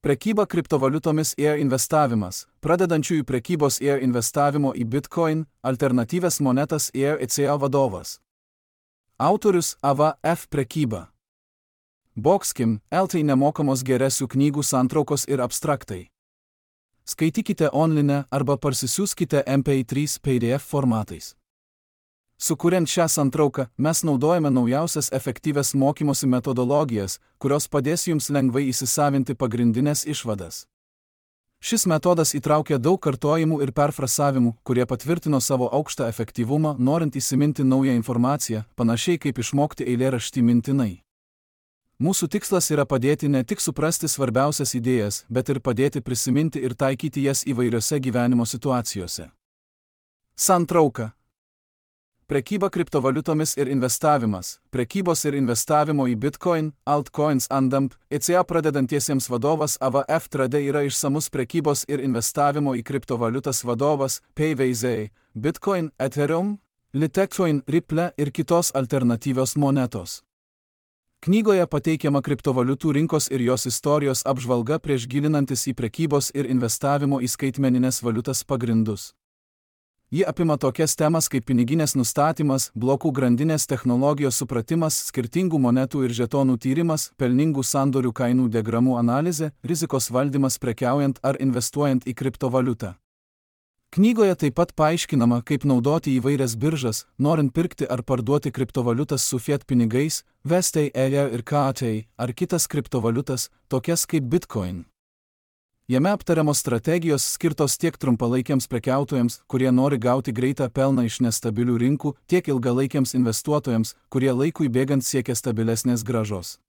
Prekyba kriptovaliutomis ir investavimas, pradedančiųjų prekybos ir investavimo į Bitcoin, alternatyvias monetas ir ECA vadovas. Autorius AVF prekyba. Boxkim, LT nemokamos geresių knygų santraukos ir abstraktai. Skaitykite online arba parsisiųskite MP3 PDF formatais. Sukuriant šią santrauką, mes naudojame naujausias efektyvias mokymosi metodologijas, kurios padės jums lengvai įsisavinti pagrindinės išvadas. Šis metodas įtraukia daug kartojimų ir perfrasavimų, kurie patvirtino savo aukštą efektyvumą, norint įsiminti naują informaciją, panašiai kaip išmokti eilėraštį mintinai. Mūsų tikslas yra padėti ne tik suprasti svarbiausias idėjas, bet ir padėti prisiminti ir taikyti jas įvairiose gyvenimo situacijose. Santrauka. Prekyba kriptovaliutomis ir investavimas, prekybos ir investavimo į Bitcoin, altcoins andamp, ECA pradedantiesiems vadovas AVF Trade yra išsamus prekybos ir investavimo į kriptovaliutas vadovas, PVZ, Bitcoin, Ethereum, Litecoin, Ripple ir kitos alternatyvios monetos. Knygoje pateikiama kriptovaliutų rinkos ir jos istorijos apžvalga prieš gilinantis į prekybos ir investavimo į skaitmeninės valiutas pagrindus. Ji apima tokias temas kaip piniginės nustatymas, blokų grandinės technologijos supratimas, skirtingų monetų ir žetonų tyrimas, pelningų sandorių kainų diagramų analizė, rizikos valdymas prekiaujant ar investuojant į kriptovaliutą. Knygoje taip pat paaiškinama, kaip naudoti įvairias biržas, norint pirkti ar parduoti kriptovaliutas su fiat pinigais, VST, EIA ir KAT, ar kitas kriptovaliutas, tokias kaip Bitcoin. Jame aptariamos strategijos skirtos tiek trumpalaikiams prekiautojams, kurie nori gauti greitą pelną iš nestabilių rinkų, tiek ilgalaikiams investuotojams, kurie laikui bėgant siekia stabilesnės grąžos.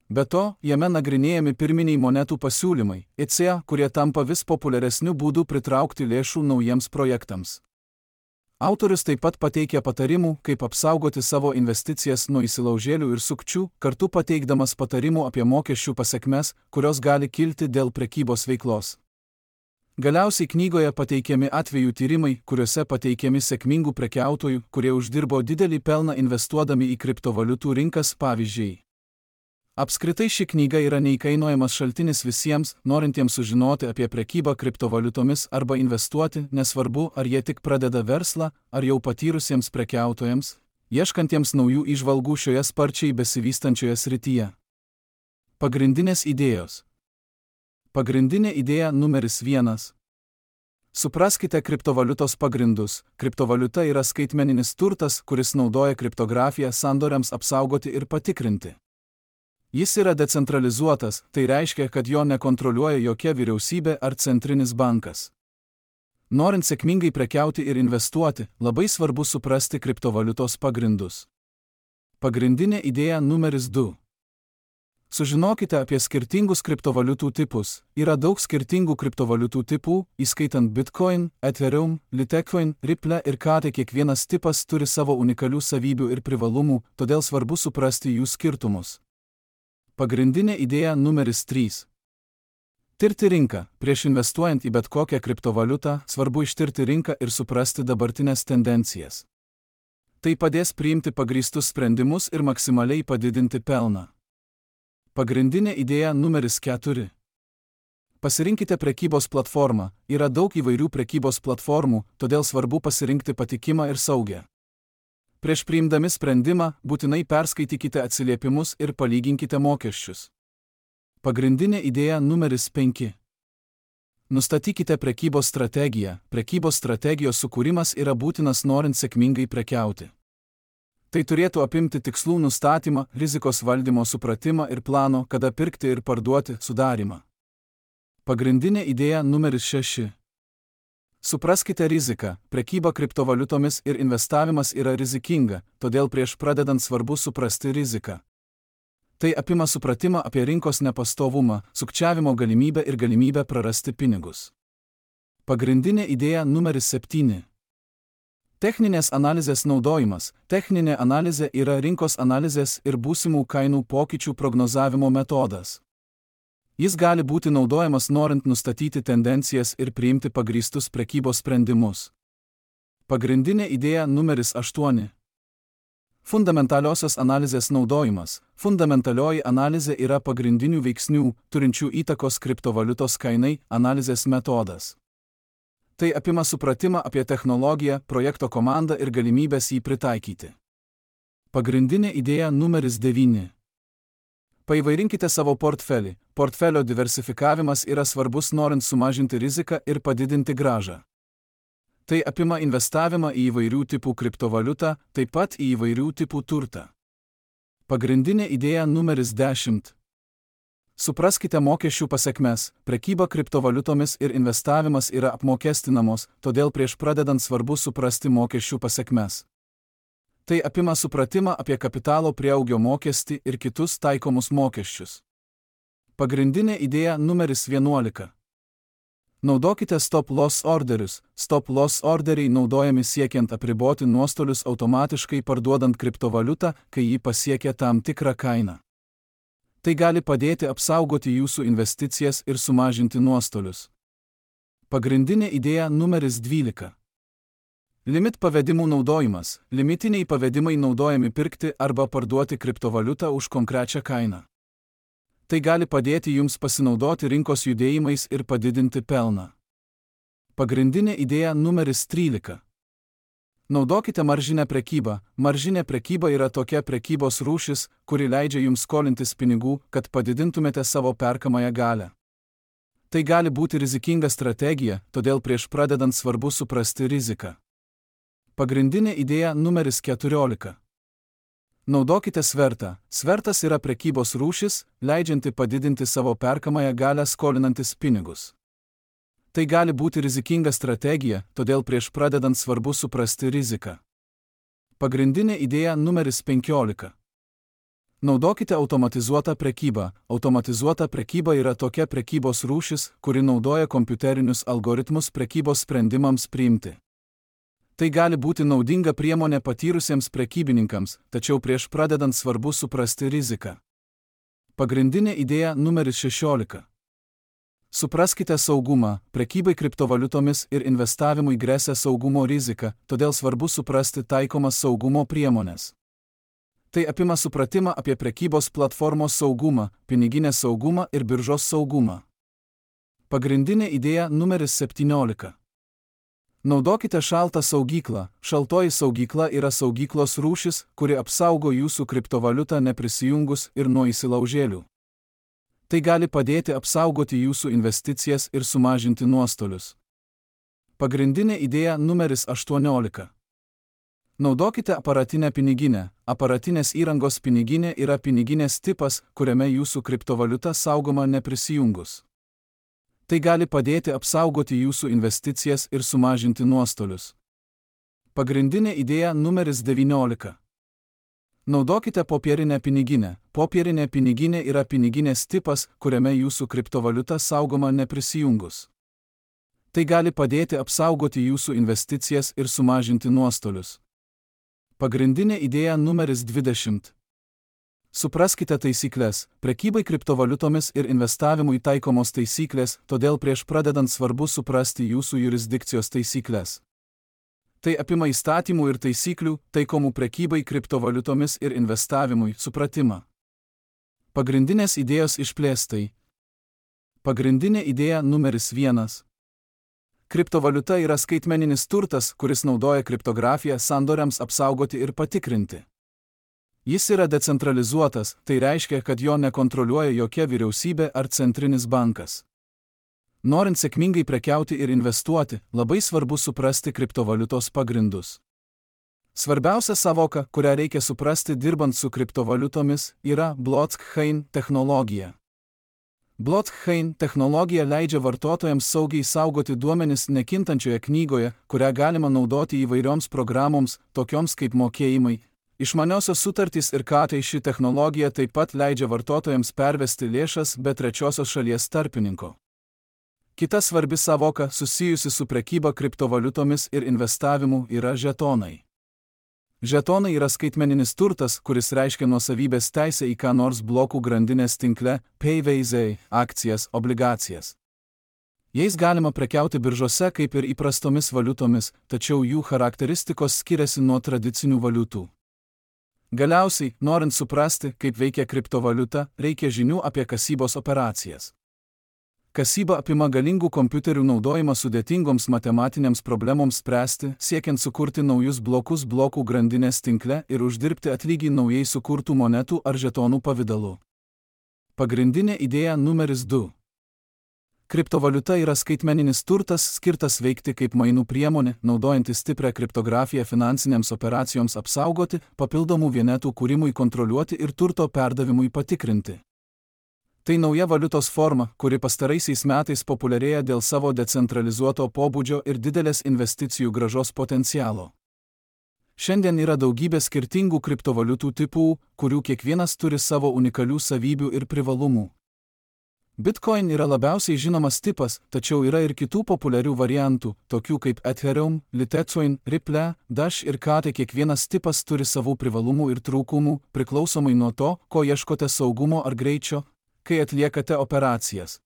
Be to, jame nagrinėjami pirminiai monetų pasiūlymai, ECA, kurie tampa vis populiaresniu būdu pritraukti lėšų naujiems projektams. Autorius taip pat pateikia patarimų, kaip apsaugoti savo investicijas nuo įsilaužėlių ir sukčių, kartu pateikdamas patarimų apie mokesčių pasekmes, kurios gali kilti dėl prekybos veiklos. Galiausiai knygoje pateikiami atvejų tyrimai, kuriuose pateikiami sėkmingų prekiautojų, kurie uždirbo didelį pelną investuodami į kriptovaliutų rinkas, pavyzdžiai. Apskritai ši knyga yra neįkainojamas šaltinis visiems, norintiems sužinoti apie prekybą kriptovaliutomis arba investuoti, nesvarbu, ar jie tik pradeda verslą, ar jau patyrusiems prekiautojams, ieškantiems naujų įžvalgų šioje sparčiai besivystančioje srityje. Pagrindinės idėjos. Pagrindinė idėja numeris 1. Supraskite kriptovaliutos pagrindus. Kriptovaliuta yra skaitmeninis turtas, kuris naudoja kriptografiją sandoriams apsaugoti ir patikrinti. Jis yra decentralizuotas, tai reiškia, kad jo nekontroliuoja jokia vyriausybė ar centrinis bankas. Norint sėkmingai prekiauti ir investuoti, labai svarbu suprasti kriptovaliutos pagrindus. Pagrindinė idėja numeris 2. Sužinokite apie skirtingus kriptovaliutų tipus. Yra daug skirtingų kriptovaliutų tipų, įskaitant Bitcoin, Ethereum, Litecoin, Ripple ir KAT. Kiekvienas tipas turi savo unikalių savybių ir privalumų, todėl svarbu suprasti jų skirtumus. Pagrindinė idėja numeris 3. Tirti rinką. Prieš investuojant į bet kokią kriptovaliutą, svarbu ištirti rinką ir suprasti dabartinės tendencijas. Tai padės priimti pagrįstus sprendimus ir maksimaliai padidinti pelną. Pagrindinė idėja numeris 4. Pasirinkite prekybos platformą. Yra daug įvairių prekybos platformų, todėl svarbu pasirinkti patikimą ir saugią. Prieš priimdami sprendimą, būtinai perskaitykite atsiliepimus ir palyginkite mokesčius. Pagrindinė idėja numeris 5. Nustatykite prekybos strategiją. Prekybos strategijos sukūrimas yra būtinas norint sėkmingai prekiauti. Tai turėtų apimti tikslų nustatymą, rizikos valdymo supratimą ir plano, kada pirkti ir parduoti, sudarymą. Pagrindinė idėja numeris 6. Supraskite riziką. Prekyba kriptovaliutomis ir investavimas yra rizikinga, todėl prieš pradedant svarbu suprasti riziką. Tai apima supratimą apie rinkos nepastovumą, sukčiavimo galimybę ir galimybę prarasti pinigus. Pagrindinė idėja numeris 7. Techninės analizės naudojimas. Techninė analizė yra rinkos analizės ir būsimų kainų pokyčių prognozavimo metodas. Jis gali būti naudojamas norint nustatyti tendencijas ir priimti pagrįstus prekybos sprendimus. Pagrindinė idėja numeris 8. Fundamentaliosios analizės naudojimas. Fundamentalioji analizė yra pagrindinių veiksnių, turinčių įtakos kriptovaliutos kainai, analizės metodas. Tai apima supratimą apie technologiją, projekto komandą ir galimybės jį pritaikyti. Pagrindinė idėja numeris 9. Paįvairinkite savo portfelį. Portfelio diversifikavimas yra svarbus norint sumažinti riziką ir padidinti grąžą. Tai apima investavimą į įvairių tipų kriptovaliutą, taip pat į įvairių tipų turtą. Pagrindinė idėja numeris 10. Supraskite mokesčių pasekmes. Prekyba kriptovaliutomis ir investavimas yra apmokestinamos, todėl prieš pradedant svarbu suprasti mokesčių pasekmes. Tai apima supratimą apie kapitalo prieaugio mokestį ir kitus taikomus mokesčius. Pagrindinė idėja numeris 11. Naudokite stop-loss orderius. Stop-loss orderiai naudojami siekiant apriboti nuostolius automatiškai parduodant kriptovaliutą, kai ji pasiekia tam tikrą kainą. Tai gali padėti apsaugoti jūsų investicijas ir sumažinti nuostolius. Pagrindinė idėja numeris 12. Limit pavedimų naudojimas. Limitiniai pavedimai naudojami pirkti arba parduoti kriptovaliutą už konkrečią kainą. Tai gali padėti jums pasinaudoti rinkos judėjimais ir padidinti pelną. Pagrindinė idėja numeris 13. Naudokite maržinę prekybą. Maržinė prekyba yra tokia prekybos rūšis, kuri leidžia jums skolintis pinigų, kad padidintumėte savo perkamąją galią. Tai gali būti rizikinga strategija, todėl prieš pradedant svarbu suprasti riziką. Pagrindinė idėja numeris 14. Naudokite svertą. Svertas yra prekybos rūšis, leidžianti padidinti savo perkamąją galią skolinantis pinigus. Tai gali būti rizikinga strategija, todėl prieš pradedant svarbu suprasti riziką. Pagrindinė idėja numeris 15. Naudokite automatizuotą prekybą. Automatizuota prekyba yra tokia prekybos rūšis, kuri naudoja kompiuterinius algoritmus prekybos sprendimams priimti. Tai gali būti naudinga priemonė patyrusiems prekybininkams, tačiau prieš pradedant svarbu suprasti riziką. Pagrindinė idėja numeris 16. Supraskite saugumą. Prekybai kriptovaliutomis ir investavimui gresia saugumo rizika, todėl svarbu suprasti taikomas saugumo priemonės. Tai apima supratimą apie prekybos platformos saugumą, piniginės saugumą ir biržos saugumą. Pagrindinė idėja numeris 17. Naudokite šaltą saugyklą. Šaltoji saugykla yra saugyklos rūšis, kuri apsaugo jūsų kriptovaliutą neprisijungus ir nuo įsilaužėlių. Tai gali padėti apsaugoti jūsų investicijas ir sumažinti nuostolius. Pagrindinė idėja numeris 18. Naudokite aparatinę piniginę. Aparatinės įrangos piniginė yra piniginės tipas, kuriame jūsų kriptovaliuta saugoma neprisijungus. Tai gali padėti apsaugoti jūsų investicijas ir sumažinti nuostolius. Pagrindinė idėja numeris 19. Naudokite popierinę piniginę. Popierinė piniginė yra piniginės tipas, kuriame jūsų kriptovaliuta saugoma neprisijungus. Tai gali padėti apsaugoti jūsų investicijas ir sumažinti nuostolius. Pagrindinė idėja numeris 20. Supraskite taisyklės. Prekybai kriptovaliutomis ir investavimui taikomos taisyklės, todėl prieš pradedant svarbu suprasti jūsų jurisdikcijos taisyklės. Tai apima įstatymų ir taisyklių, taikomų prekybai kriptovaliutomis ir investavimui supratimą. Pagrindinės idėjos išplėstai. Pagrindinė idėja numeris 1. Kriptovaliuta yra skaitmeninis turtas, kuris naudoja kriptografiją sandoriams apsaugoti ir patikrinti. Jis yra decentralizuotas, tai reiškia, kad jo nekontroliuoja jokia vyriausybė ar centrinis bankas. Norint sėkmingai prekiauti ir investuoti, labai svarbu suprasti kriptovaliutos pagrindus. Svarbiausia savoka, kurią reikia suprasti dirbant su kriptovaliutomis, yra blockchain technologija. Blockchain technologija leidžia vartotojams saugiai saugoti duomenis nekintančioje knygoje, kurią galima naudoti įvairioms programoms, tokioms kaip mokėjimai, išmaniosios sutartys ir tai ši technologija taip pat leidžia vartotojams pervesti lėšas be trečiosios šalies tarpininko. Kita svarbi savoka susijusi su prekyba kriptovaliutomis ir investavimu yra žetonai. Žetonai yra skaitmeninis turtas, kuris reiškia nuosavybės teisę į ką nors blokų grandinės tinkle, PayVaizai, akcijas, obligacijas. Jais galima prekiauti biržose kaip ir įprastomis valiutomis, tačiau jų charakteristikos skiriasi nuo tradicinių valiutų. Galiausiai, norint suprasti, kaip veikia kriptovaliuta, reikia žinių apie kasybos operacijas. Kasyba apima galingų kompiuterių naudojimą sudėtingoms matematinėms problemoms spręsti, siekiant sukurti naujus blokus blokų grandinės tinkle ir uždirbti atlygį naujai sukurtų monetų ar žetonų pavidalu. Pagrindinė idėja numeris 2. Kriptovaliuta yra skaitmeninis turtas skirtas veikti kaip mainų priemonė, naudojantis stiprią kriptografiją finansinėms operacijoms apsaugoti, papildomų vienetų kūrimui kontroliuoti ir turto perdavimui patikrinti. Tai nauja valiutos forma, kuri pastaraisiais metais populiarėja dėl savo decentralizuoto pobūdžio ir didelės investicijų grąžos potencialo. Šiandien yra daugybė skirtingų kriptovaliutų tipų, kurių kiekvienas turi savo unikalių savybių ir privalumų. Bitcoin yra labiausiai žinomas tipas, tačiau yra ir kitų populiarių variantų, tokių kaip Ethereum, Litecoin, Ripple, Dash ir KT. Kiekvienas tipas turi savų privalumų ir trūkumų, priklausomai nuo to, ko ieškote saugumo ar greičio, kai atliekate operacijas.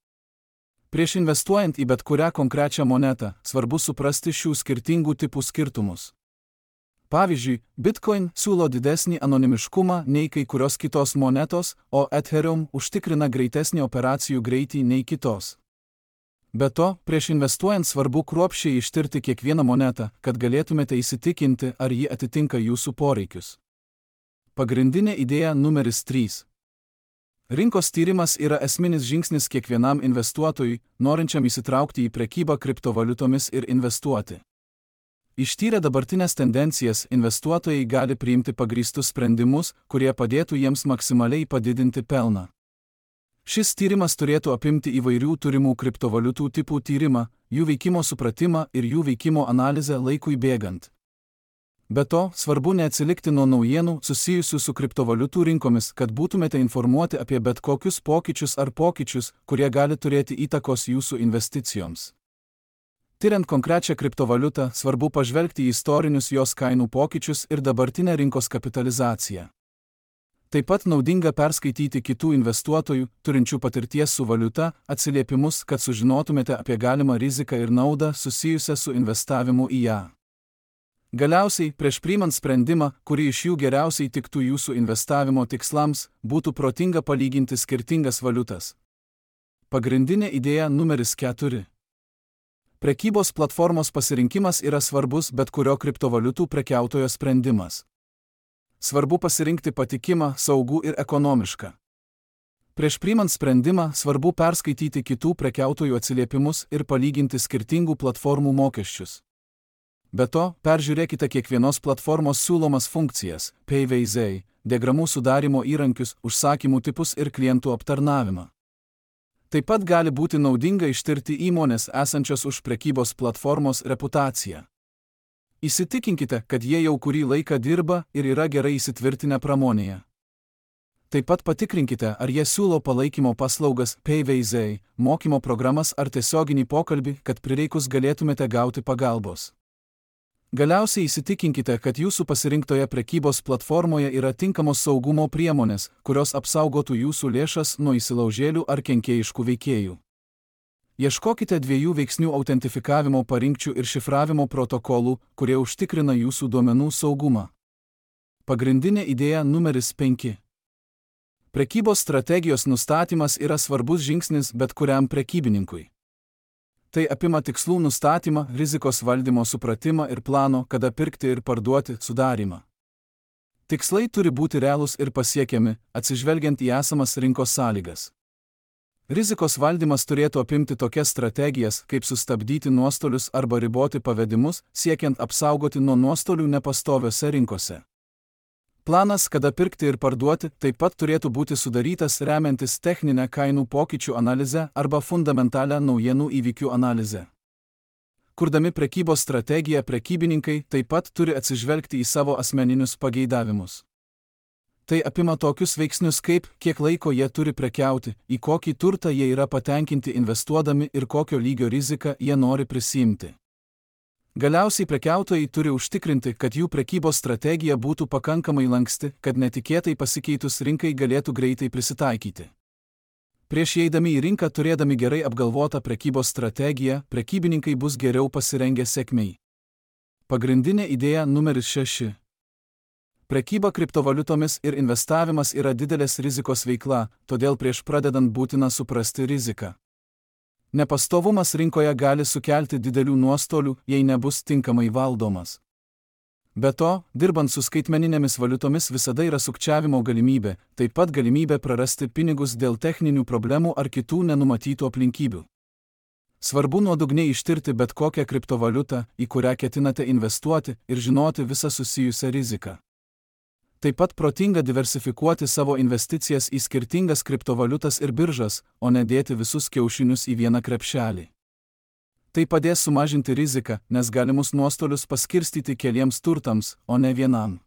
Prieš investuojant į bet kurią konkrečią monetą, svarbu suprasti šių skirtingų tipų skirtumus. Pavyzdžiui, Bitcoin siūlo didesnį anonimiškumą nei kai kurios kitos monetos, o Ethereum užtikrina greitesnį operacijų greitį nei kitos. Be to, prieš investuojant svarbu kruopščiai ištirti kiekvieną monetą, kad galėtumėte įsitikinti, ar ji atitinka jūsų poreikius. Pagrindinė idėja numeris 3. Rinkos tyrimas yra esminis žingsnis kiekvienam investuotojui, norinčiam įsitraukti į prekybą kriptovaliutomis ir investuoti. Ištyrę dabartinės tendencijas, investuotojai gali priimti pagrįstus sprendimus, kurie padėtų jiems maksimaliai padidinti pelną. Šis tyrimas turėtų apimti įvairių turimų kriptovaliutų tipų tyrimą, jų veikimo supratimą ir jų veikimo analizę laikui bėgant. Be to, svarbu neatsilikti nuo naujienų susijusių su kriptovaliutų rinkomis, kad būtumėte informuoti apie bet kokius pokyčius, kurie gali turėti įtakos jūsų investicijoms. Tiriant konkrečią kriptovaliutą, svarbu pažvelgti į istorinius jos kainų pokyčius ir dabartinę rinkos kapitalizaciją. Taip pat naudinga perskaityti kitų investuotojų, turinčių patirties su valiuta, atsiliepimus, kad sužinotumėte apie galimą riziką ir naudą susijusią su investavimu į ją. Galiausiai, prieš priimant sprendimą, kuri iš jų geriausiai tiktų jūsų investavimo tikslams, būtų protinga palyginti skirtingas valiutas. Pagrindinė idėja numeris 4. Prekybos platformos pasirinkimas yra svarbus bet kurio kriptovaliutų prekiautojo sprendimas. Svarbu pasirinkti patikimą, saugų ir ekonomišką. Prieš priimant sprendimą, svarbu perskaityti kitų prekiautojų atsiliepimus ir palyginti skirtingų platformų mokesčius. Be to, peržiūrėkite kiekvienos platformos siūlomas funkcijas, PVZ, diagramų sudarimo įrankius, užsakymų tipus ir klientų aptarnavimą. Taip pat gali būti naudinga ištirti įmonės esančios už prekybos platformos reputaciją. Įsitikinkite, kad jie jau kurį laiką dirba ir yra gerai įsitvirtinę pramonėje. Taip pat patikrinkite, ar jie siūlo palaikymo paslaugas, PVZ, mokymo programas ar tiesioginį pokalbį, kad prireikus galėtumėte gauti pagalbos. Galiausiai įsitikinkite, kad jūsų pasirinktoje prekybos platformoje yra tinkamos saugumo priemonės, kurios apsaugotų jūsų lėšas nuo įsilaužėlių ar kenkėjiškų veikėjų. Ieškokite 2 veiksnių autentifikavimo parinkčių ir šifravimo protokolų, kurie užtikrina jūsų duomenų saugumą. Pagrindinė idėja numeris 5. Prekybos strategijos nustatymas yra svarbus žingsnis bet kuriam prekybininkui. Tai apima tikslų nustatymą, rizikos valdymo supratimą ir plano, kada pirkti ir parduoti, sudarymą. Tikslai turi būti realūs ir pasiekiami, atsižvelgiant į esamas rinkos sąlygas. Rizikos valdymas turėtų apimti tokias strategijas, kaip sustabdyti nuostolius arba riboti pavedimus, siekiant apsaugoti nuo nuostolių nepastoviose rinkose. Planas, kada pirkti ir parduoti, taip pat turėtų būti sudarytas remiantis techninę kainų pokyčių analizę arba fundamentalią naujienų įvykių analizę. Kurdami prekybos strategiją, prekybininkai taip pat turi atsižvelgti į savo asmeninius pageidavimus. Tai apima tokius veiksnius kaip, kiek laiko jie turi prekiauti, į kokį turtą jie yra patenkinti investuodami ir kokio lygio riziką jie nori prisiimti. Galiausiai prekiautojai turi užtikrinti, kad jų prekybos strategija būtų pakankamai lanksti, kad netikėtai pasikeitus rinkai galėtų greitai prisitaikyti. Prieš įeidami į rinką turėdami gerai apgalvotą prekybos strategiją, prekybininkai bus geriau pasirengę sėkmei. Pagrindinė idėja numeris 6. Prekyba kriptovaliutomis ir investavimas yra didelės rizikos veikla, todėl prieš pradedant būtina suprasti riziką. Nepastovumas rinkoje gali sukelti didelių nuostolių, jei nebus tinkamai valdomas. Be to, dirbant su skaitmeninėmis valiutomis visada yra sukčiavimo galimybė, taip pat galimybė prarasti pinigus dėl techninių problemų ar kitų nenumatytų aplinkybių. Svarbu nuodugniai ištirti bet kokią kriptovaliutą, į kurią ketinate investuoti ir žinoti visą susijusią riziką. Taip pat protinga diversifikuoti savo investicijas į skirtingas kriptovaliutas ir biržas, o ne dėti visus kiaušinius į vieną krepšelį. Tai padės sumažinti riziką, nes galimus nuostolius paskirstyti keliems turtams, o ne vienam.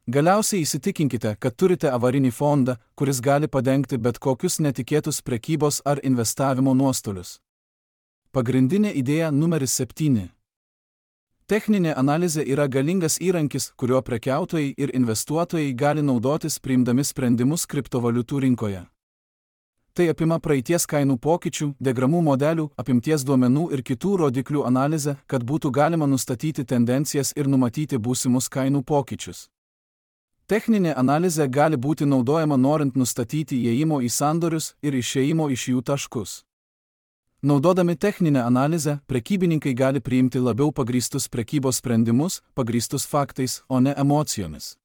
Galiausiai įsitikinkite, kad turite avarinį fondą, kuris gali padengti bet kokius netikėtus prekybos ar investavimo nuostolius. Pagrindinė idėja numeris 7. Techninė analizė yra galingas įrankis, kuriuo prekiautojai ir investuotojai gali naudotis priimdami sprendimus kriptovaliutų rinkoje. Tai apima praeities kainų pokyčių, diagramų modelių, apimties duomenų ir kitų rodiklių analizę, kad būtų galima nustatyti tendencijas ir numatyti būsimus kainų pokyčius. Techninė analizė gali būti naudojama norint nustatyti įėjimo į sandorius ir išėjimo iš jų taškus. Naudodami techninę analizę, prekybininkai gali priimti labiau pagrįstus prekybos sprendimus, pagrįstus faktais, o ne emocijomis.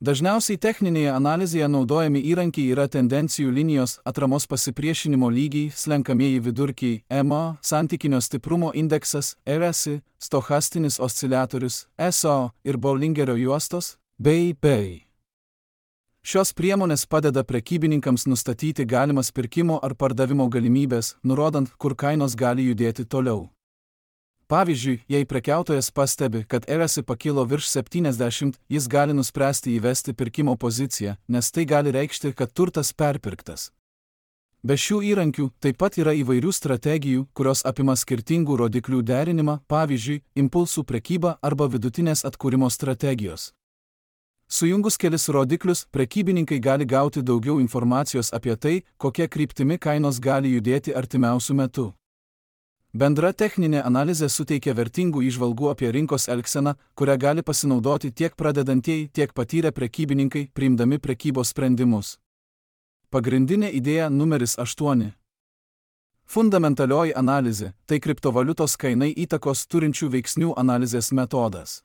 Dažniausiai techninėje analizėje naudojami įrankiai yra tendencijų linijos, atramos pasipriešinimo lygiai, slenkamieji vidurkiai, EMA, santykinio stiprumo indeksas, RSI, stochastinis osciliatorius, SO ir Bollingerio juostos, bei. Šios priemonės padeda prekybininkams nustatyti galimas pirkimo ar pardavimo galimybės, nurodant, kur kainos gali judėti toliau. Pavyzdžiui, jei prekiautojas pastebi, kad RSI pakilo virš 70, jis gali nuspręsti įvesti pirkimo poziciją, nes tai gali reikšti, kad turtas perpirktas. Be šių įrankių taip pat yra įvairių strategijų, kurios apima skirtingų rodiklių derinimą, pavyzdžiui, impulsų prekybą arba vidutinės atkūrimo strategijos. Sujungus kelis rodiklius, prekybininkai gali gauti daugiau informacijos apie tai, kokia kryptimi kainos gali judėti artimiausiu metu. Bendra techninė analizė suteikia vertingų įžvalgų apie rinkos elgseną, kurią gali pasinaudoti tiek pradedantieji, tiek patyrę prekybininkai, priimdami prekybos sprendimus. Pagrindinė idėja numeris 8. Fundamentalioji analizė – tai kriptovaliutos kainai įtakos turinčių veiksnių analizės metodas.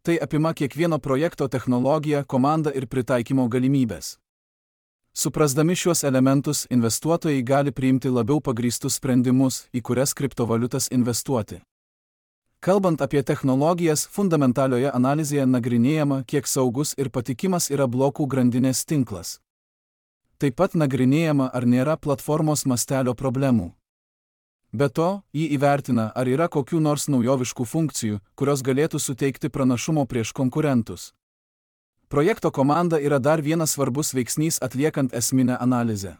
Tai apima kiekvieno projekto technologiją, komandą ir pritaikymo galimybės. Suprasdami šiuos elementus, investuotojai gali priimti labiau pagrįstus sprendimus, į kurias kriptovaliutas investuoti. Kalbant apie technologijas, fundamentalioje analizėje nagrinėjama, kiek saugus ir patikimas yra blokų grandinės tinklas. Taip pat nagrinėjama, ar nėra platformos mastelio problemų. Be to, jį įvertina, ar yra kokių nors naujoviškų funkcijų, kurios galėtų suteikti pranašumo prieš konkurentus. Projekto komanda yra dar vienas svarbus veiksnys atliekant esminę analizę.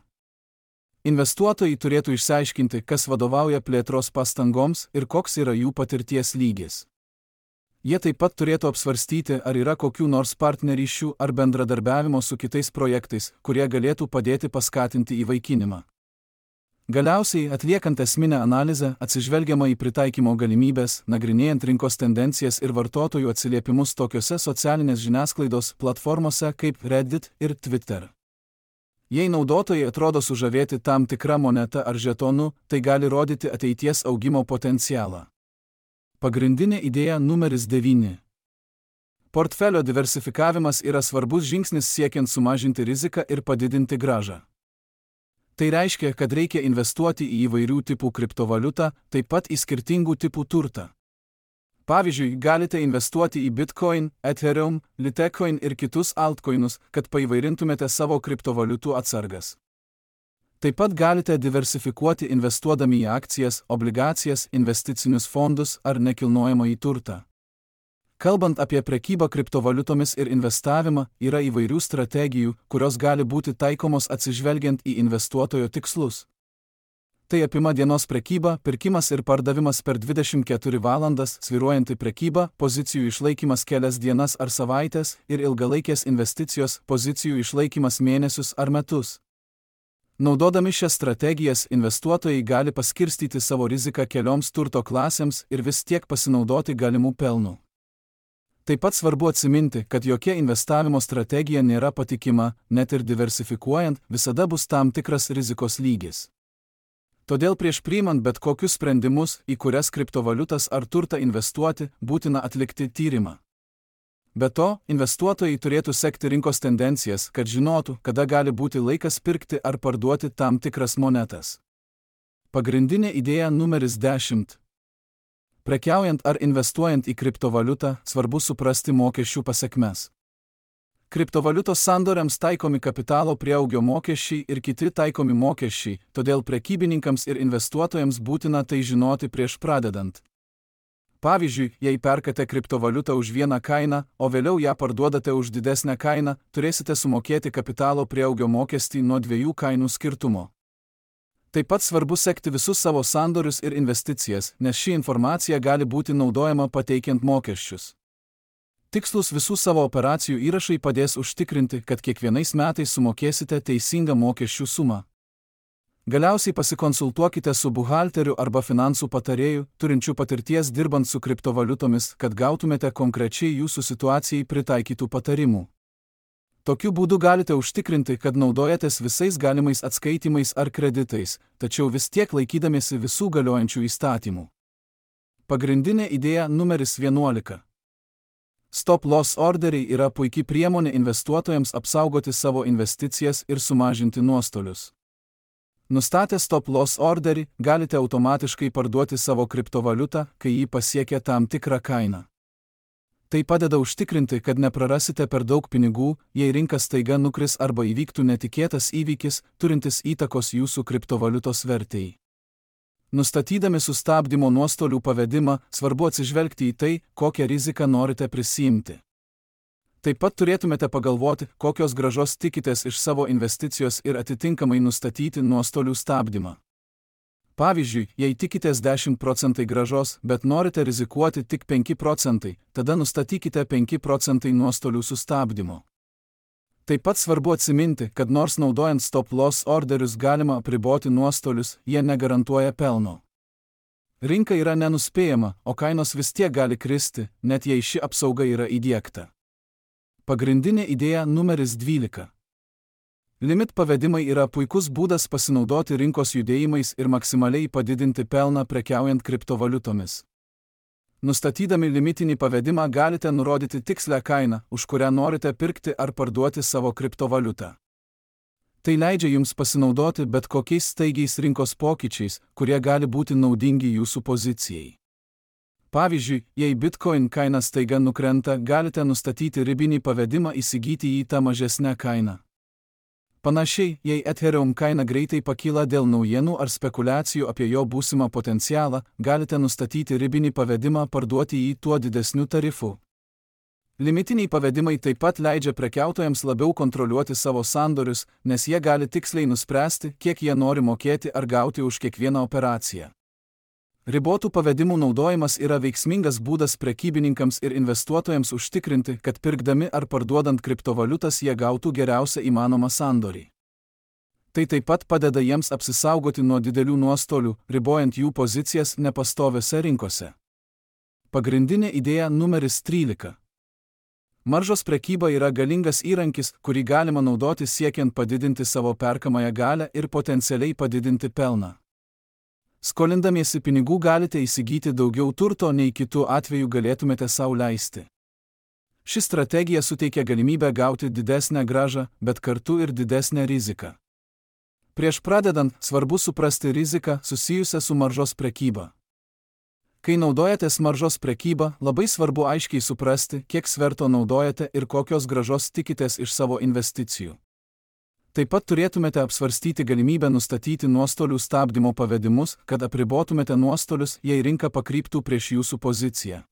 Investuotojai turėtų išsiaiškinti, kas vadovauja plėtros pastangoms ir koks yra jų patirties lygis. Jie taip pat turėtų apsvarstyti, ar yra kokių nors partnerysčių ar bendradarbiavimo su kitais projektais, kurie galėtų padėti paskatinti įvaikinimą. Galiausiai, atliekant esminę analizę, atsižvelgiama į pritaikymo galimybės, nagrinėjant rinkos tendencijas ir vartotojų atsiliepimus tokiose socialinės žiniasklaidos platformose kaip Reddit ir Twitter. Jei naudotojai atrodo sužavėti tam tikrą monetą ar žetonu, tai gali rodyti ateities augimo potencialą. Pagrindinė idėja numeris 9. Portfelio diversifikavimas yra svarbus žingsnis siekiant sumažinti riziką ir padidinti grąžą. Tai reiškia, kad reikia investuoti į įvairių tipų kriptovaliutą, taip pat į skirtingų tipų turtą. Pavyzdžiui, galite investuoti į Bitcoin, Ethereum, Litecoin ir kitus altcoinus, kad paįvairintumėte savo kriptovaliutų atsargas. Taip pat galite diversifikuoti investuodami į akcijas, obligacijas, investicinius fondus ar nekilnojamąjį turtą. Kalbant apie prekybą kriptovaliutomis ir investavimą, yra įvairių strategijų, kurios gali būti taikomos atsižvelgiant į investuotojo tikslus. Tai apima dienos prekybą, pirkimas ir pardavimas per 24 valandas, svyruojanti prekyba, pozicijų išlaikymas kelias dienas ar savaitės ir ilgalaikės investicijos, pozicijų išlaikymas mėnesius ar metus. Naudodami šias strategijas, investuotojai gali paskirstyti savo riziką kelioms turto klasėms ir vis tiek pasinaudoti galimų pelnų. Taip pat svarbu atsiminti, kad jokia investavimo strategija nėra patikima, net ir diversifikuojant, visada bus tam tikras rizikos lygis. Todėl prieš priimant bet kokius sprendimus, į kurias kriptovaliutas ar turtą investuoti, būtina atlikti tyrimą. Be to, investuotojai turėtų sekti rinkos tendencijas, kad žinotų, kada gali būti laikas pirkti ar parduoti tam tikras monetas. Pagrindinė idėja numeris 10. Prekiaujant ar investuojant į kriptovaliutą, svarbu suprasti mokesčių pasekmes. Kriptovaliutos sandoriams taikomi kapitalo prieaugio mokesčiai ir kiti taikomi mokesčiai, todėl prekybininkams ir investuotojams būtina tai žinoti prieš pradedant. Pavyzdžiui, jei perkate kriptovaliutą už vieną kainą, o vėliau ją parduodate už didesnę kainą, turėsite sumokėti kapitalo prieaugio mokestį nuo 2 kainų skirtumo. Taip pat svarbu sekti visus savo sandorius ir investicijas, nes ši informacija gali būti naudojama pateikiant mokesčius. Tikslus visų savo operacijų įrašai padės užtikrinti, kad kiekvienais metais sumokėsite teisingą mokesčių sumą. Galiausiai pasikonsultuokite su buhalteriu arba finansų patarėju, turinčiu patirties dirbant su kriptovaliutomis, kad gautumėte konkrečiai jūsų situacijai pritaikytų patarimų. Tokiu būdu galite užtikrinti, kad naudojatės visais galimais atskaitimais ar kreditais, tačiau vis tiek laikydamiesi visų galiojančių įstatymų. Pagrindinė idėja numeris 11. Stop-loss orderiai yra puikia priemonė investuotojams apsaugoti savo investicijas ir sumažinti nuostolius. Nustatę stop-loss orderį, galite automatiškai parduoti savo kriptovaliutą, kai jį pasiekia tam tikrą kainą. Tai padeda užtikrinti, kad neprarasite per daug pinigų, jei rinka staiga nukris arba įvyktų netikėtas įvykis, turintis įtakos jūsų kriptovaliutos vertei. Nustatydami sustabdymo nuostolių pavedimą, svarbu atsižvelgti į tai, kokią riziką norite prisiimti. Taip pat turėtumėte pagalvoti, kokios grąžos tikitės iš savo investicijos ir atitinkamai nustatyti nuostolių stabdymą. Pavyzdžiui, jei tikitės 10% grąžos, bet norite rizikuoti tik 5%, tada nustatykite 5% nuostolių sustabdymo. Taip pat svarbu atsiminti, kad nors naudojant stop-loss orderius galima apriboti nuostolius, jie negarantuoja pelno. Rinka yra nenuspėjama, o kainos vis tiek gali kristi, net jei ši apsauga yra įdiegta. Pagrindinė idėja numeris 12. Limit pavedimai yra puikus būdas pasinaudoti rinkos judėjimais ir maksimaliai padidinti pelną prekiaujant kriptovaliutomis. Nustatydami limitinį pavedimą galite nurodyti tikslę kainą, už kurią norite pirkti ar parduoti savo kriptovaliutą. Tai leidžia jums pasinaudoti bet kokiais staigiais rinkos pokyčiais, kurie gali būti naudingi jūsų pozicijai. Pavyzdžiui, jei Bitcoin kaina staiga nukrenta, galite nustatyti ribinį pavedimą įsigyti jį tą mažesnę kainą. Panašiai, jei Ethereum kaina greitai pakyla dėl naujienų ar spekulacijų apie jo būsimą potencialą, galite nustatyti ribinį pavedimą parduoti jį tuo didesniu tarifu. Limitiniai pavedimai taip pat leidžia prekiautojams labiau kontroliuoti savo sandorius, nes jie gali tiksliai nuspręsti, kiek jie nori mokėti ar gauti už kiekvieną operaciją. Ribotų pavedimų naudojimas yra veiksmingas būdas prekybininkams ir investuotojams užtikrinti, kad pirkdami ar parduodant kriptovaliutas jie gautų geriausią įmanomą sandorį. Tai taip pat padeda jiems apsisaugoti nuo didelių nuostolių, ribojant jų pozicijas nepastoviose rinkose. Pagrindinė idėja numeris 13. Maržos prekyba yra galingas įrankis, kurį galima naudoti siekiant padidinti savo perkamąją galią ir potencialiai padidinti pelną. Skolindamiesi pinigų galite įsigyti daugiau turto, nei kitų atveju galėtumėte sau leisti. Ši strategija suteikia galimybę gauti didesnę grąžą, bet kartu ir didesnę riziką. Prieš pradedant, svarbu suprasti riziką susijusią su maržos prekyba. Kai naudojatės maržos prekybą, labai svarbu aiškiai suprasti, kiek sverto naudojate ir kokios grąžos tikitės iš savo investicijų. Taip pat turėtumėte apsvarstyti galimybę nustatyti nuostolių stabdymo pavedimus, kad apribotumėte nuostolius, jei rinka pakryptų prieš jūsų poziciją.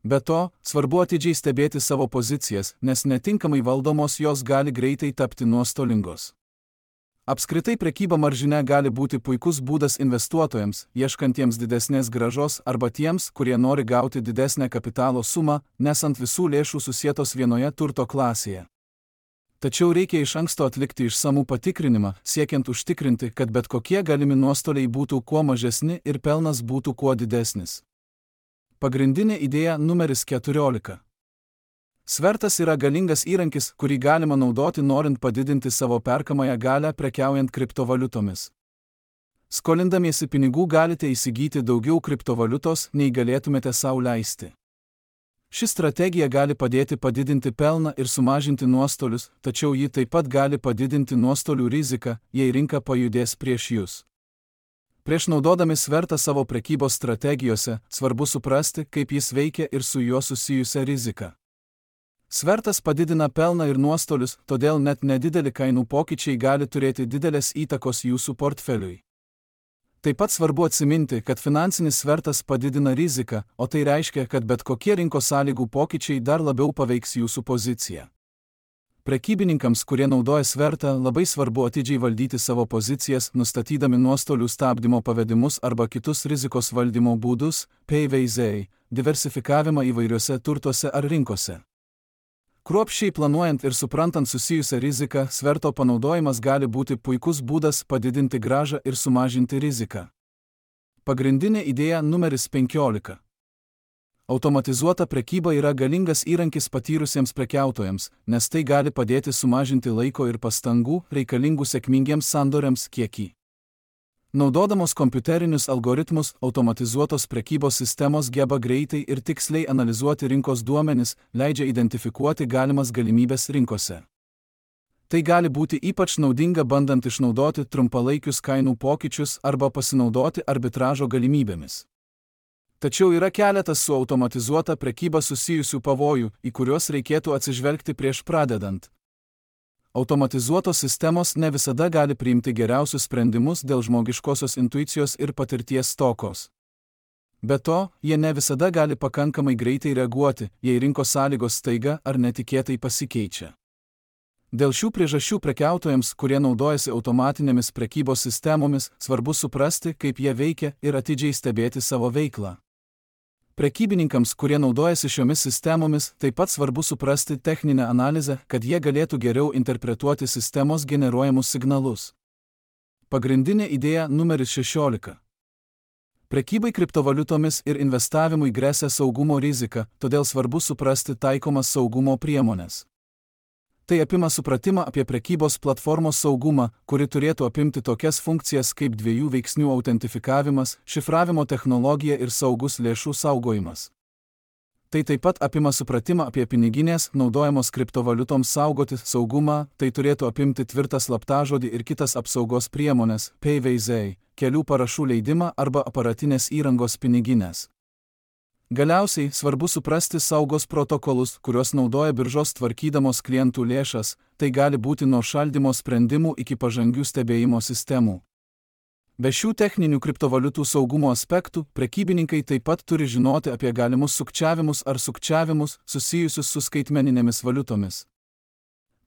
Be to, svarbu atidžiai stebėti savo pozicijas, nes netinkamai valdomos jos gali greitai tapti nuostolingos. Apskritai prekyba maržine gali būti puikus būdas investuotojams, ieškantiems didesnės grąžos arba tiems, kurie nori gauti didesnę kapitalo sumą, nesant visų lėšų susietos vienoje turto klasėje. Tačiau reikia iš anksto atlikti išsamų patikrinimą, siekiant užtikrinti, kad bet kokie galimi nuostoliai būtų kuo mažesni ir pelnas būtų kuo didesnis. Pagrindinė idėja numeris 14. Svertas yra galingas įrankis, kurį galima naudoti norint padidinti savo perkamąją galią prekiaujant kriptovaliutomis. Skolindamiesi pinigų galite įsigyti daugiau kriptovaliutos, nei galėtumėte sau leisti. Ši strategija gali padėti padidinti pelną ir sumažinti nuostolius, tačiau ji taip pat gali padidinti nuostolių riziką, jei rinka pajudės prieš jūs. Prieš naudodami svertą savo prekybos strategijose, svarbu suprasti, kaip jis veikia ir su juo susijusią riziką. Svertas padidina pelną ir nuostolius, todėl net nedideli kainų pokyčiai gali turėti didelės įtakos jūsų portfeliui. Taip pat svarbu atsiminti, kad finansinis svertas padidina riziką, o tai reiškia, kad bet kokie rinkos sąlygų pokyčiai dar labiau paveiks jūsų poziciją. Prekybininkams, kurie naudoja svertą, labai svarbu atidžiai valdyti savo pozicijas, nustatydami nuostolių stabdymo pavedimus arba kitus rizikos valdymo būdus, PVZ, diversifikavimą įvairiuose turtuose ar rinkose. Kruopščiai planuojant ir suprantant susijusią riziką, sverto panaudojimas gali būti puikus būdas padidinti grąžą ir sumažinti riziką. Pagrindinė idėja numeris 15. Automatizuota prekyba yra galingas įrankis patyrusiems prekiautojams, nes tai gali padėti sumažinti laiko ir pastangų reikalingų sėkmingiems sandoriams kiekį. Naudodamos kompiuterinius algoritmus, automatizuotos prekybos sistemos geba greitai ir tiksliai analizuoti rinkos duomenis, leidžia identifikuoti galimas galimybes rinkose. Tai gali būti ypač naudinga bandant išnaudoti trumpalaikius kainų pokyčius arba pasinaudoti arbitražo galimybėmis. Tačiau yra keletas su automatizuota prekyba susijusių pavojų, į kuriuos reikėtų atsižvelgti prieš pradedant. Automatizuotos sistemos ne visada gali priimti geriausius sprendimus dėl žmogiškosios intuicijos ir patirties stokos. Be to, jie ne visada gali pakankamai greitai reaguoti, jei rinkos sąlygos staiga ar netikėtai pasikeičia. Dėl šių priežasčių prekiautojams, kurie naudojasi automatinėmis prekybos sistemomis, svarbu suprasti, kaip jie veikia ir atidžiai stebėti savo veiklą. Prekybininkams, kurie naudojasi šiomis sistemomis, taip pat svarbu suprasti techninę analizę, kad jie galėtų geriau interpretuoti sistemos generuojamus signalus. Pagrindinė idėja numeris 16. Prekybai kriptovaliutomis ir investavimui gresia saugumo rizika, todėl svarbu suprasti taikomas saugumo priemonės. Tai apima supratimą apie prekybos platformos saugumą, kuri turėtų apimti tokias funkcijas kaip dviejų veiksnių autentifikavimas, šifravimo technologija ir saugus lėšų saugojimas. Tai taip pat apima supratimą apie piniginės, naudojamos kriptovaliutoms saugoti saugumą, tai turėtų apimti tvirtą slaptažodį ir kitas apsaugos priemonės, PVZ, kelių parašų leidimą arba aparatinės įrangos piniginės. Galiausiai svarbu suprasti saugos protokolus, kuriuos naudoja biržos tvarkydamos klientų lėšas, tai gali būti nuo šaldymo sprendimų iki pažangių stebėjimo sistemų. Be šių techninių kriptovaliutų saugumo aspektų, prekybininkai taip pat turi žinoti apie galimus sukčiavimus ar sukčiavimus susijusius su skaitmeninėmis valiutomis.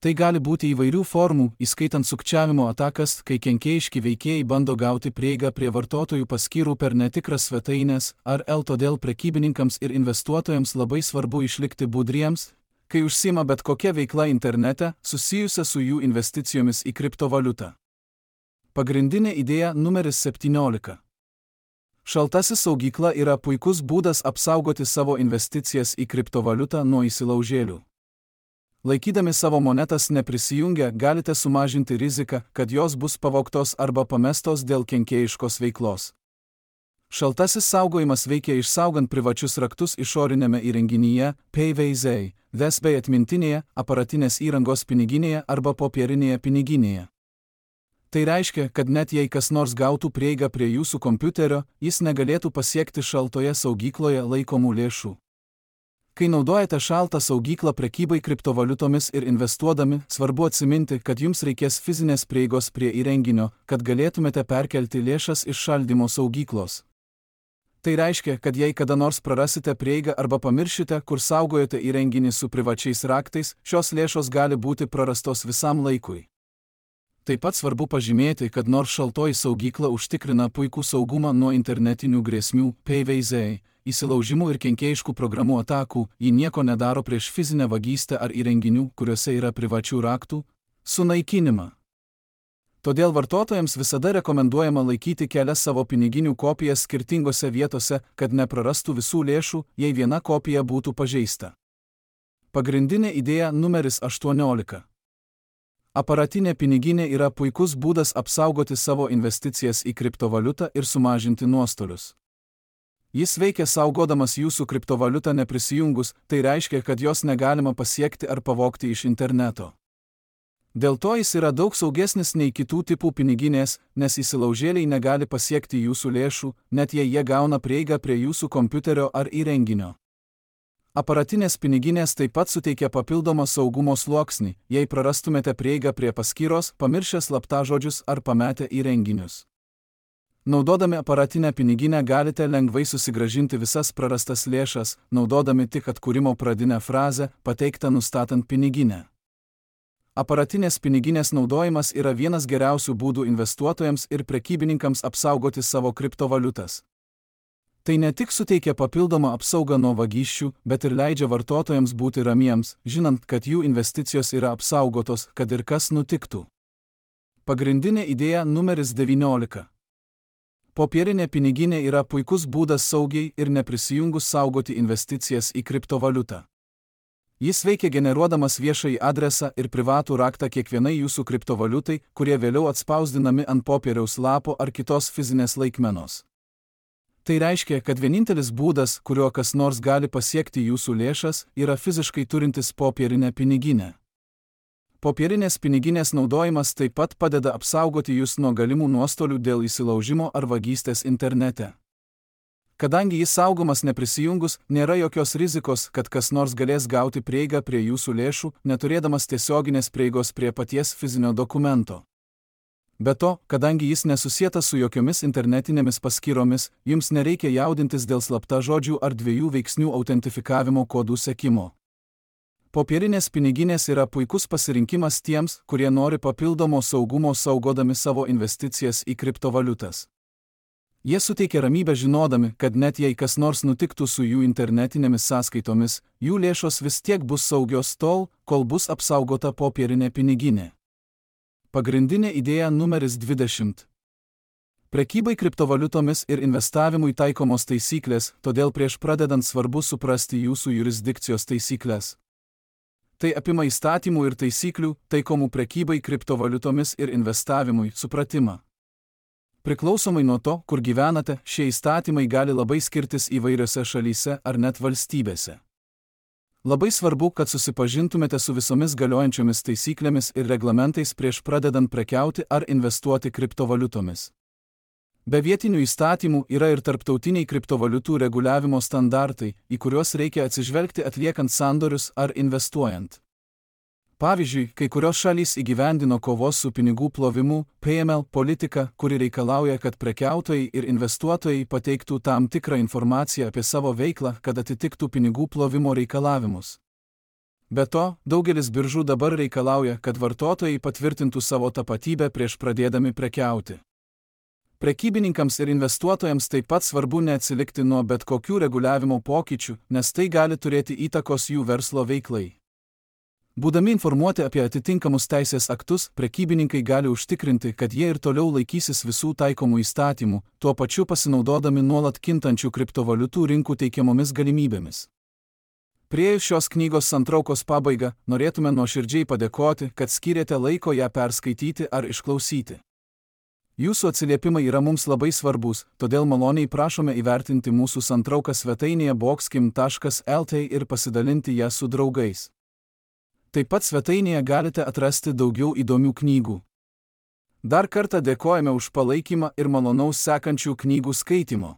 Tai gali būti įvairių formų, įskaitant sukčiavimo atakas, kai kenkėjiški veikėjai bando gauti prieigą prie vartotojų paskyrų per netikras svetaines, todėl prekybininkams ir investuotojams labai svarbu išlikti budriems, kai užsiima bet kokia veikla internete, susijusia su jų investicijomis į kriptovaliutą. Pagrindinė idėja numeris 17. Šaltasis saugykla yra puikus būdas apsaugoti savo investicijas į kriptovaliutą nuo įsilaužėlių. Laikydami savo monetas neprisijungę, galite sumažinti riziką, kad jos bus pavogtos arba pamestos dėl kenkėjiškos veiklos. Šaltasis saugojimas veikia išsaugant privačius raktus išorinėme įrenginyje, PVZ, VES bei atmintinėje, aparatinės įrangos piniginėje arba popierinėje piniginėje. Tai reiškia, kad net jei kas nors gautų prieigą prie jūsų kompiuterio, jis negalėtų pasiekti šaltoje saugykloje laikomų lėšų. Kai naudojate šaltą saugyklą prekybai kriptovaliutomis ir investuodami, svarbu atsiminti, kad jums reikės fizinės prieigos prie įrenginio, kad galėtumėte perkelti lėšas iš šaldymo saugyklos. Tai reiškia, kad jei kada nors prarasite prieigą arba pamiršite, kur saugojote įrenginį su privačiais raktais, šios lėšos gali būti prarastos visam laikui. Taip pat svarbu pažymėti, kad nors šaltoji saugykla užtikrina puikų saugumą nuo internetinių grėsmių, PVZ, įsilaužimų ir kenkėjiškų programų atakų, ji nieko nedaro prieš fizinę vagystę ar įrenginių, kuriuose yra privačių raktų, sunaikinimą. Todėl vartotojams visada rekomenduojama laikyti kelias savo piniginių kopijas skirtingose vietose, kad neprarastų visų lėšų, jei viena kopija būtų pažeista. Pagrindinė idėja numeris 18. Aparatinė piniginė yra puikus būdas apsaugoti savo investicijas į kriptovaliutą ir sumažinti nuostolius. Jis veikia saugodamas jūsų kriptovaliutą neprisijungus, tai reiškia, kad jos negalima pasiekti ar pavogti iš interneto. Dėl to jis yra daug saugesnis nei kitų tipų piniginės, nes įsilaužėliai negali pasiekti jūsų lėšų, net jei jie gauna prieigą prie jūsų kompiuterio ar įrenginio. Aparatinės piniginės taip pat suteikia papildomą saugumo sluoksnį, jei prarastumėte prieigą prie paskyros, pamiršę slaptažodžius ar pametę įrenginius. Naudodami aparatinę piniginę galite lengvai susigrąžinti visas prarastas lėšas, naudodami tik atkūrimo pradinę frazę, pateiktą nustatant piniginę. Aparatinės piniginės naudojimas yra vienas geriausių būdų investuotojams ir prekybininkams apsaugoti savo kriptovaliutas. Tai ne tik suteikia papildomą apsaugą nuo vagysčių, bet ir leidžia vartotojams būti ramiems, žinant, kad jų investicijos yra apsaugotos, kad ir kas nutiktų. Pagrindinė idėja numeris 19. Popierinė piniginė yra puikus būdas saugiai ir neprisijungus saugoti investicijas į kriptovaliutą. Jis veikia generuodamas viešąjį adresą ir privatų raktą kiekvienai jūsų kriptovaliutai, kurie vėliau atspausdinami ant popieriaus lapo ar kitos fizinės laikmenos. Tai reiškia, kad vienintelis būdas, kuriuo kas nors gali pasiekti jūsų lėšas, yra fiziškai turintis popierinę piniginę. Popierinės piniginės naudojimas taip pat padeda apsaugoti jūs nuo galimų nuostolių dėl įsilaužimo ar vagystės internete. Kadangi jis saugomas neprisijungus, nėra jokios rizikos, kad kas nors galės gauti prieigą prie jūsų lėšų, neturėdamas tiesioginės prieigos prie paties fizinio dokumento. Be to, kadangi jis nesusietas su jokiomis internetinėmis paskyromis, jums nereikia jaudintis dėl slaptažodžių ar dviejų veiksnių autentifikavimo kodų sekimo. Popierinės piniginės yra puikus pasirinkimas tiems, kurie nori papildomo saugumo saugodami savo investicijas į kriptovaliutas. Jie suteikia ramybę žinodami, kad net jei kas nors nutiktų su jų internetinėmis sąskaitomis, jų lėšos vis tiek bus saugios tol, kol bus apsaugota popierinė piniginė. Pagrindinė idėja numeris 20. Prekybai kriptovaliutomis ir investavimui taikomos taisyklės, todėl prieš pradedant svarbu suprasti jūsų jurisdikcijos taisyklės. Tai apima įstatymų ir taisyklių, taikomų prekybai kriptovaliutomis ir investavimui, supratimą. Priklausomai nuo to, kur gyvenate, šie įstatymai gali labai skirtis įvairiose šalyse ar net valstybėse. Labai svarbu, kad susipažintumėte su visomis galiojančiomis taisyklėmis ir reglamentais prieš pradedant prekiauti ar investuoti kriptovaliutomis. Be vietinių įstatymų yra ir tarptautiniai kriptovaliutų reguliavimo standartai, į kuriuos reikia atsižvelgti atliekant sandorius ar investuojant. Pavyzdžiui, kai kurios šalys įgyvendino kovos su pinigų plovimu (PML) politiką, kuri reikalauja, kad prekiautojai ir investuotojai pateiktų tam tikrą informaciją apie savo veiklą, kad atitiktų pinigų plovimo reikalavimus. Be to, daugelis biržų dabar reikalauja, kad vartotojai patvirtintų savo tapatybę prieš pradėdami prekiauti. Prekybininkams ir investuotojams taip pat svarbu neatsilikti nuo bet kokių reguliavimo pokyčių, nes tai gali turėti įtakos jų verslo veiklai. Būdami informuoti apie atitinkamus teisės aktus, prekybininkai gali užtikrinti, kad jie ir toliau laikysis visų taikomų įstatymų, tuo pačiu pasinaudodami nuolat kintančių kriptovaliutų rinkų teikiamomis galimybėmis. Priėjus šios knygos santraukos pabaigą, norėtume nuoširdžiai padėkoti, kad skyrėte laiko ją perskaityti ar išklausyti. Jūsų atsiliepimai yra mums labai svarbus, todėl maloniai prašome įvertinti mūsų santrauką svetainėje boxkim.lt ir pasidalinti ją su draugais. Taip pat svetainėje galite atrasti daugiau įdomių knygų. Dar kartą dėkojame už palaikymą ir malonaus sekančių knygų skaitimo.